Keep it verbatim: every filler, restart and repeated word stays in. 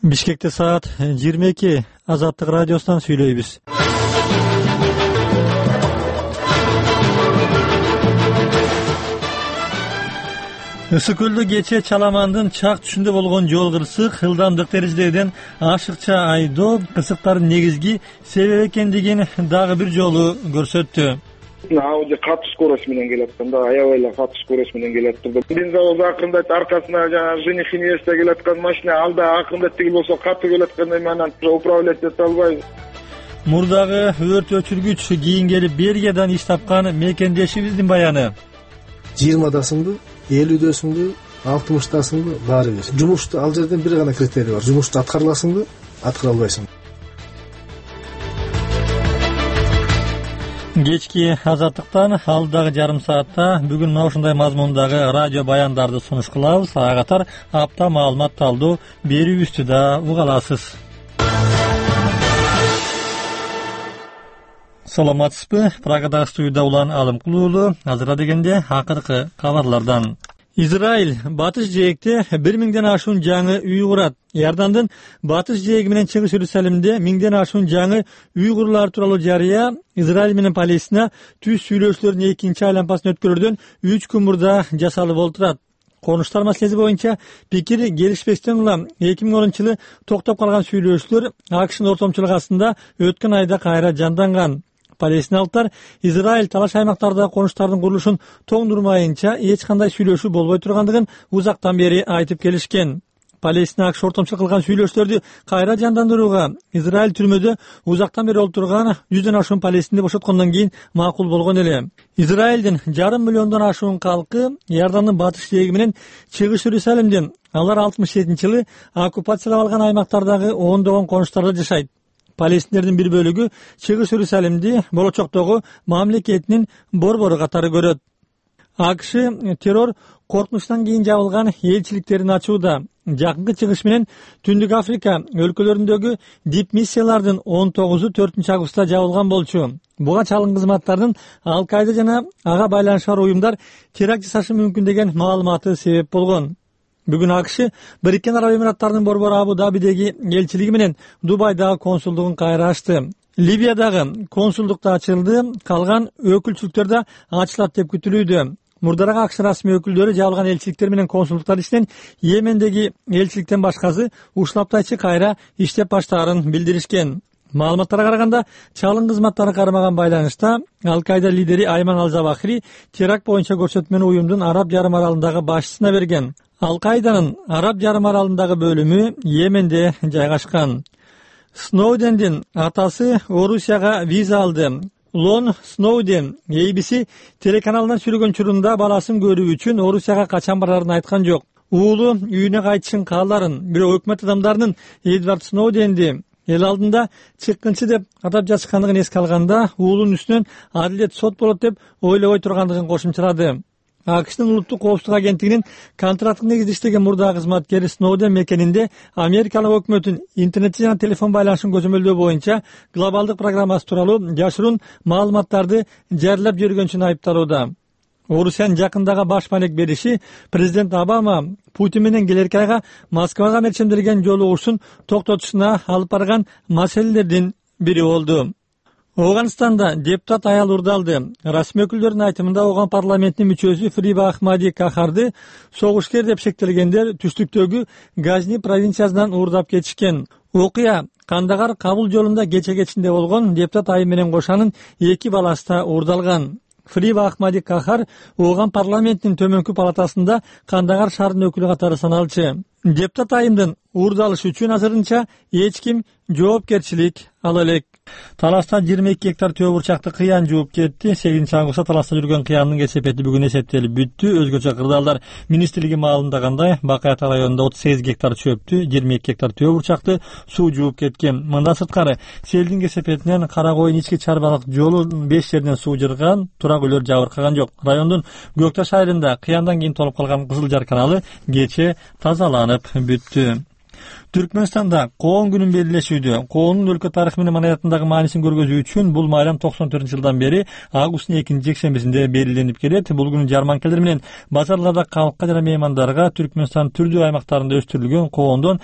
Бишкекте саат жыйырма эки. Азаттык радиосунан сүйлөйбүз. Ысык көлдө кече Чаламандын чак түшүндө болгон жол кырсык, ылдамдык терезелерден ашыкча айдоо кырсыктардын негизги себеби экендигин дагы бир жолу көрсөттү. Ауди катуу скорость менен келаткан да, аябай эле катуу скорость менен келаптыр. Бензовоз акырындайт, аркасына жана жених невеста келаткан машина алда акырындайт дегил болсо катуу келаткандай менен управлять эте албайбыз. Мурдагы өрт өчүргүч кийин келип Бельгиядан иш тапкан мекендешибиздин баяны. жыйырмадасыңбы, элүүдөсүңбү, алтымыштасыңбы баары бир. Жумушту ал жерден бир гана критерий бар. Жумушту аткара аласыңбы, аткара албайсың. Кечки азаттыктан алдагы жарым саатта бүгүн мына ушундай мазмундагы радио баяндарды сунуш кылабыз. Ага катар апта маалымат талдоо берүүбүздү да уга аласыз. Саламатсызбы? Прагадагы студияда улан Алымкул уулу. Азырда дегенде акыркы кабарлардан. Израиль батыш жээкте бир миңден ашуун жаңы үй курат. Иордандын батыш жээги менен Чыгыш Иерусалимде миңден ашуун жаңы үй курулар тууралуу жарыя Израиль менен Палестина түз сүйлөшүүлөрдүн экинчи айланмасын өткөрүүдөн үч күн мурда жасалып олтурат. Конуштар маселеси боюнча пикир келишпестен улам эки миң онунчу жылы токтоп калган сүйлөшүүлөр АКШнын ортомчулугу астында өткөн айда кайра жанданган. Палестиналыктар Израиль талаш аймактардагы конуштардын курулушун тоңдурмайынча эч кандай сүйлөшүү болбой тургандыгын узактан бери айтып келишкен. Палестина АКШ ортомчулук кылган сүйлөшүүлөрдү кайра жандандырууга Израиль түрмөдө узактан бери олтурган жүздөн ашуун палестинди бошоткондон кийин макул болгон эле. Израилдин жарым миллиондон ашуун калкы Иордандын батыш жээги менен Чыгыш Иерусалимден алар алтымыш жетинчи жылы оккупациялап алган аймактардагы ондогон конуштарда жашайт. Палестиндердин бир бөлүгү Чыгыш Иерусалимди болочоктогу мамлекетинин борбору катары көрөт. АКШ террор коркунучтан кийин жабылган элчиликтерин ачууда. Жакынкы Чыгыш менен Түндүк Африка өлкөлөрүндөгү дип миссиялардын он тогузу төртүнчү августта жабылган болчу. Буга чалгын кызматтардын Ал-Каида жана ага байланышы бар уюмдар теракт жасашы мүмкүн деген маалыматы себеп болгон. Бүгүн АКШ Бириккен Араб Эмираттарынын борбору Абу-Дабидеги элчилиги менен Дубайдагы консулдугун кайра ачты. Либиядагы консулдукта ачылды, калган өкүлчүлүктөр да ачылат деп күтүлүүдө. Мурдараак АКШ расмий өкүлдөрү жабылган элчиликтер менен консулдуктар ичинен Йемендеги элчиликтен башкасы ушул аптачы кайра иштеп баштаарын билдиришкен. Маалыматтарга караганда, чалгын кызматтары кармаган байланышта Ал-Каида лидери Айман Ал-Завахри теракт боюнча көрсөтмөнү уюмдун Араб жарым аралындагы башчысына берген. Ал-Каиданын Араб жарым аралындагы бөлүмү Йеменде жайгашкан. Сноудендин атасы Орусияга виза алды. Лон Сноуден эй би си телеканалынан сүргөн учурунда баласын көрүү үчүн Орусияга качан барарын айткан жок. Уулу үйүнө кайтышын кааларын, бирок өкмөт адамдарынын Эдвард Сноуденди эл алдында чыккынчы деп атап жатышкандыгын эске алганда, уулунун үстүнөн адилет сот болот деп ойлобой тургандыгын кошумчалады. АКШнын улуттук коопсуздук агенттигинин контракттык негизде иштеген мурдагы кызматкери Сноуден мекенинде Америкалык өкмөттүн интернет жана телефон байланышын көзөмөлдөө боюнча глобалдык программасы тууралуу жашыруун маалыматтарды жарыялап жүргөнчүн айыпталууда. Орусиянын жакындагы баш маек бериши президент Обама Путин менен келерки айга Москвага мерчемделген жолугушун токтотушуна алып барган маселелердин бири болду. Ооганстанда депутат аял урдалды. Расмий өкүлдөрдүн айтымында Ооган парламентинин мүчөсү Фриба Ахмади Кахарды согушкер деп шектелгендер түштүктөгү Газни провинциясынан уурдап кетишкен. Окуя Кандагар кабыл жолунда кече кечинде болгон. Депутат айым менен кошанын эки баласы да уурдалган. Фриба Ахмади Кахар Ооган парламентинин төмөнкү палатасында Кандагар шаарынын өкүлү катары саналчу. Депутат айымдын уурдалышы үчүн азырынча эч ким жоопкерчилик ала элек. Таласта жыйырма эки гектар төө бурчакты кыян жууп кетти. сегизинчи августта таласта жүргөн кыяндын кесепети бүгүн эсептелип бүттү. Өзгөчө кырдаалдар министрлиги маалымдагандай, Бакай Ата районунда отуз сегиз гектар чөптү, жыйырма эки гектар төө бурчакты суу жууп кеткен. Мындан сырткары селдин кесепетинен Кара Коюн ички чарбалык жолу беш жерден суу жырган, турак үйлөр жабыркаган жок. Райондун Көкташ айылында кыяндан кийин толуп калган Кызыл Жар каналы кече тазаланып бүттү. Түркмөнстанда Коон күнүн белгилешүүдө. Коонун өлкө тарыхы менен маданиятындагы маанисин көргөзүү үчүн бул майрам токсон төртүнчү жылдан бери августтун экинчи жекшембисинде белгиленип келет. Бул күнү жарманкелер менен базарларда калкка жана меймандарга Түркмөнстандын түрдүү аймактарында өстүрүлгөн коондон